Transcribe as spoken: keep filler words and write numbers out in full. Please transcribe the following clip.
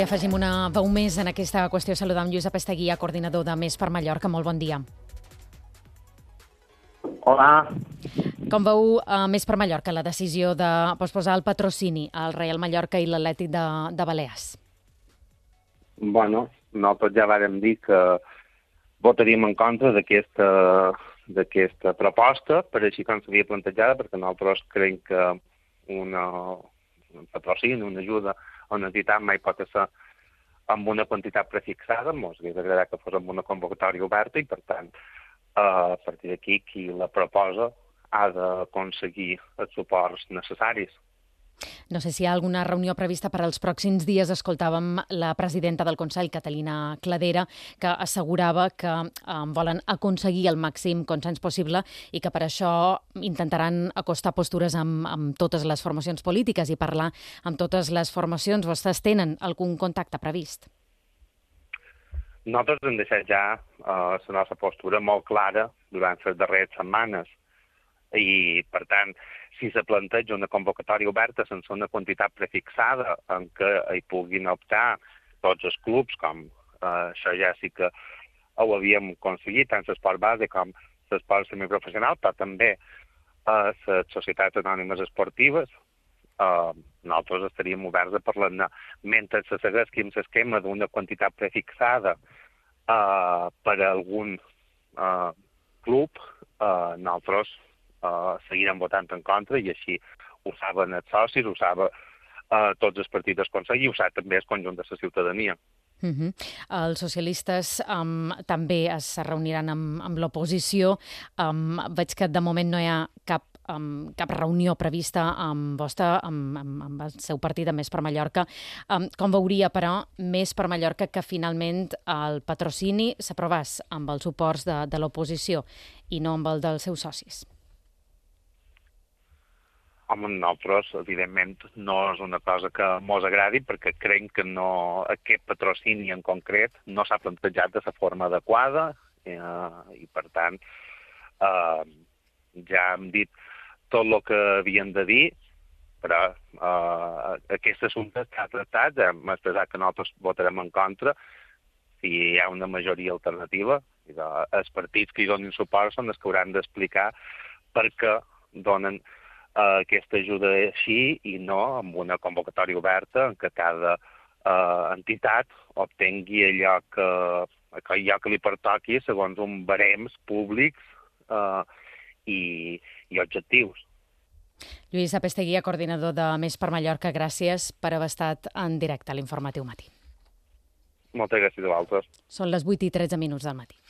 Afegim una veu més en aquesta qüestió. Saludar amb Lluís Apesteguia, coordinador de Més per Mallorca. Molt bon dia. Hola. Com veu a Més per Mallorca la decisió de posposar el patrocini al Reial Mallorca i l'Atlètic de, de Balears? Bueno, nosaltres ja vàrem dir que votaríem en contra d'aquesta d'aquesta proposta, per així com s'havia plantejada, perquè nosaltres creiem que una, un patrocini, una ajuda a una entitat mai pot ser amb una quantitat prefixada. Ens hauria agradat que fos amb una convocatòria oberta i, per tant, a partir d'aquí, qui la proposa ha d'aconseguir els suports necessaris. No sé si hi ha alguna reunió prevista per als pròxims dies. Escoltàvem la presidenta del Consell, Catalina Cladera, que assegurava que eh, volen aconseguir el màxim consens possible i que per això intentaran acostar postures amb, amb totes les formacions polítiques i parlar amb totes les formacions. Vostès tenen algun contacte previst? Nosaltres hem deixat ja eh, la nostra postura molt clara durant les darreres setmanes i, per tant, si se planteja una convocatòria oberta sense una quantitat prefixada en què hi puguin optar tots els clubs, com eh, això ja sí que ho havíem aconseguit, tant l'esport base com l'esport semiprofessional, però també eh, les societats anònimes esportives, eh, nosaltres estaríem oberts a parlar-ne. Mentre se segueixi amb l'esquema d'una quantitat prefixada eh, per a algun eh, club, eh, nosaltres Uh, seguirem votant en contra i així ho saben els socis, ho saben uh, tots els partits del Consell i ho sap també el conjunt de la ciutadania. Uh -huh. Els socialistes um, també es reuniran amb, amb l'oposició. Um, veig que de moment no hi ha cap, um, cap reunió prevista amb vostra, amb, amb, amb el seu partit, amb Més per Mallorca. Um, com veuria, però, Més per Mallorca que finalment el patrocini s'aprovés amb els suports de, de l'oposició i no amb el dels seus socis? Home, nosaltres, evidentment, no és una cosa que mos agradi perquè creiem que no, aquest patrocini en concret no s'ha plantejat de la forma adequada eh, i, per tant, eh, ja hem dit tot el que havien de dir, però eh, aquest assumpte està tractat, hem expressat que nosaltres votarem en contra si hi ha una majoria alternativa. I de, els partits que hi donin suport són els que hauran d'explicar per què donen Uh, aquesta ajuda així i no amb una convocatòria oberta en què cada uh, entitat obtingui allò que, allò que li pertoqui segons uns barems públics uh, i, i objectius. Lluís Apesteguia, coordinador de Més per Mallorca, gràcies per haver estat en directe a l'Informatiu Matí. Moltes gràcies a vosaltres. Són les vuit i tretze minuts del matí.